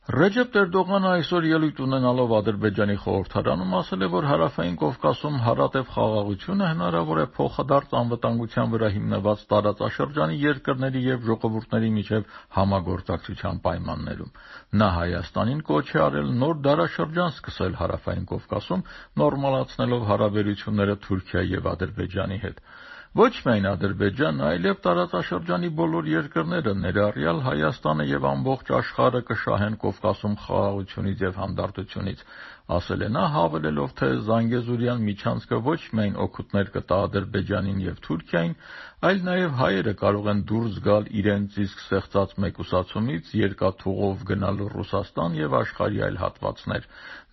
Ռեջեփ Էրդողանը այսօր ելույթ ունենալով Ադրբեջանի խորհրդարանում ասել է, որ Հարավային Կովկասում հարատև խաղաղությունը հնարավոր է փոխադարձ անվտանգության վրա հիմնված տարածաշրջանի երկրների եւ ժողովուրդների միջև համագործակցության պայմաններում։ Նա Հայաստանին կոչ է արել նոր դարաշրջան սկսել Հարավային Կովկասում, նորմալացնելով հարաբերությունները Թուրքիայի եւ Ադրբեջանի հետ։ Ոչ միայն Ադրբեջանը, այլև տարածաշրջանի բոլոր երկրները, ներառյալ Հայաստանը եւ ամբողջ աշխարհը կշահեն Կովկասում խաղաղությունից եւ հանդարտությունից, ասել է նա, հավելելով, թե Զանգեզուրյան միջանցքը ոչ միայն օգուտներ կտա Ադրբեջանին եւ Թուրքիային, այլ նաեւ հայերը կարող են դուրս գալ իրենց իսկ ստեղծած մեկուսացումից, երկաթուղով գնալու Ռուսաստան եւ աշխարհի այլ հատվածներ։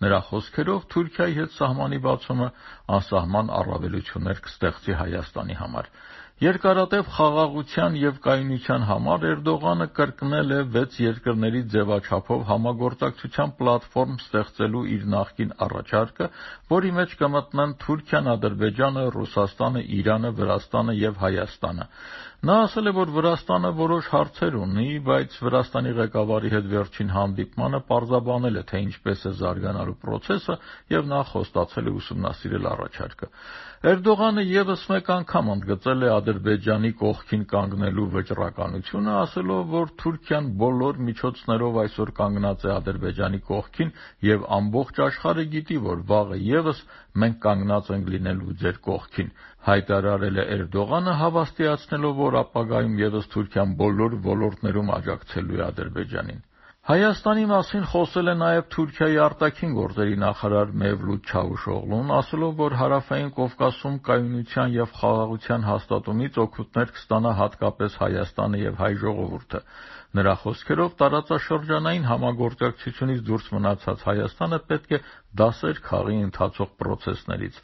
Նրա խոսքերով, Թուրքիայի հետ սահմանի բացումը անսահման առավելություններ կստեղծի Հայաստանի համար։ Երկարատև խաղաղության եւ կայունության համար Էրդողանը կրկնել է 6 երկրների ձևաչափով համագործակցության պլատֆորմ ստեղծելու իր նախկին առաջարկը, որի մեջ կմտնեն Թուրքիան, Ադրբեջանը, Ռուսաստանը, Իրանը, Վրաստանը եւ Հայաստանը։ Նա ասել է, որ Վրաստանը որոշ հարցեր ունի, բայց Վրաստանի ղեկավարի հետ վերջին հանդիպմանը պարզաբանել է, թե ինչպես է զարգանալու process-ը եւ նա խոստացել է ուսումնասիրել առաջարկը։ Էրդողանը եւս մեկ անգամ ընդգծել է Ադրբեջանի կողքին կանգնելու վճռականությունը, ասելով, որ Թուրքիան բոլոր միջոցներով այսօր կանգնած է Ադրբեջանի կողքին եւ ամբողջ աշխարհը գիտի, որ վաղը եւս մենք կանգնած ենք լինելու ձեր կողքին։ Հայտարարել է Էրդողանը, հավաստիացնելով, որ ապագայում եւս Թուրքիան բոլոր ոլորտներում աջակցելու է Ադրբեջանին։ Հայաստանի մասին խոսել է նաև Թուրքիայի արտաքին գործերի նախարար Մևլութ Չավուշօղլուն, ասելով, որ Հարավային Կովկասում կայունության եւ խաղաղության հաստատումից օգուտներ կստանա հատկապես Հայաստանը եւ հայ ժողովուրդը։ Նրա խոսքերով տարածաշրջանային համագործակցությունից դուրս մնացած Հայաստանը պետք է դասեր քաղի ընթացող process-ներից։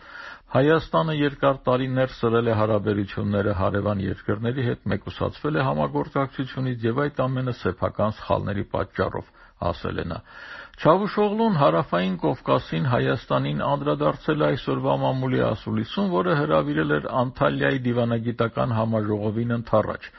Հայաստանը երկար տարիներ սրել է հարաբերությունները հարևան երկրների հետ, մեկուսացվել է համագործակցությունից եւ այդ ամենը սեփական սխալների պատճառով, ասել է նա։ Չավուշօղլուն Հարավային Կովկասին Հայաստանին անդրադարձել է այսօրվա մամուլի ասուլիսում, որը հրավիրել էր Անտալիայի դիվանագիտական համաժողովին ընդառաջ։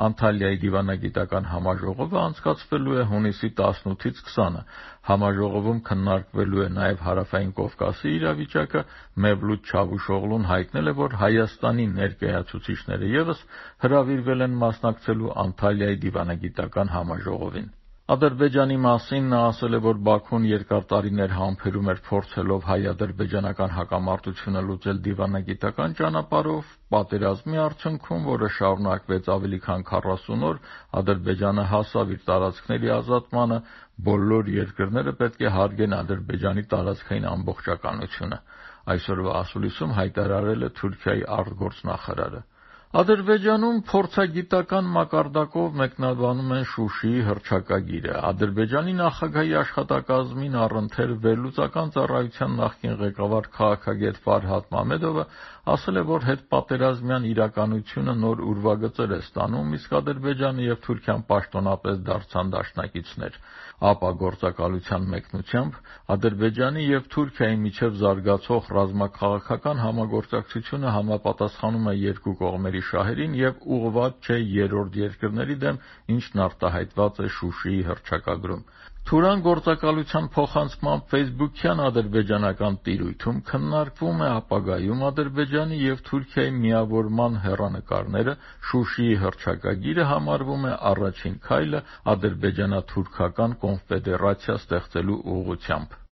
Անտալիայի դիվանագիտական համաժողովը անցկացվելու է հունիսի 18-ից 20-ը։ Համաժողովում քննարկվելու է նաև Հարավային Կովկասի իրավիճակը։ Մևլութ Չավուշօղլուն հայտնել է, որ Հայաստանի ներկայացուցիչները եւս հրավիրվել են մասնակցելու Անտալիայի դիվանագիտական համաժողովին։ Ադրբեջանի մասին նա ասել է, որ Բաքուն երկար տարիներ համբերում էր փորձելով հայ-ադրբեջանական հակամարտությունը լուծել դիվանագիտական ճանապարհով, պատերազմի արդյունքում, որը շարունակվեց ավելի քան 40 օր, Ադրբեջանը հասավ իր տարածքների ազատմանը, բոլոր երկրները պետք է հարգեն Ադրբեջանի տարածքային ամբողջականությունը, այսօրվա ասուլիսում հայտարարել է Թուրքիայի արտգործնախարարը։ Ադրբեջանում փորձագիտական մակարդակով մեկնաբանում են Շուշիի հռչակագիրը։ Ադրբեջանի նախագահի աշխատակազմին առընթեր վերլուծական ծառայության նախկին ղեկավար քաղաքագետ Ֆարհադ Մամեդովը ասել է, որ հետպատերազմյան իրականությունը նոր ուրվագծեր է ստանում, իսկ Ադրբեջանը եւ Թուրքիան պաշտոնապես դարձան դաշնակիցներ։ ԱՊԱ գործակալության մեկնությամբ Ադրբեջանի եւ Թուրքիայի միջև զարգացող ռազմաքաղաքական համագործակցությունը համապատասխանում է երկու կողմերի շահերին եւ ուղղված չէ երրորդ երկրների դեմ, ինչն արտահայտված է Շուշիի հռչակագրում։ Թուրան գործակալության փոխանցմամբ Facebook-յան ադրբեջանական տիրույթում քննարկվում է ապագայում Ադրբեջանի եւ Թուրքիայի միավորման հեռանկարները, Շուշիի հռչակագիրը համարվում է առաջին քայլը ադրբեջանա-թուրքական կոնֆեդերացիա ստեղծելու ուղղությամբ։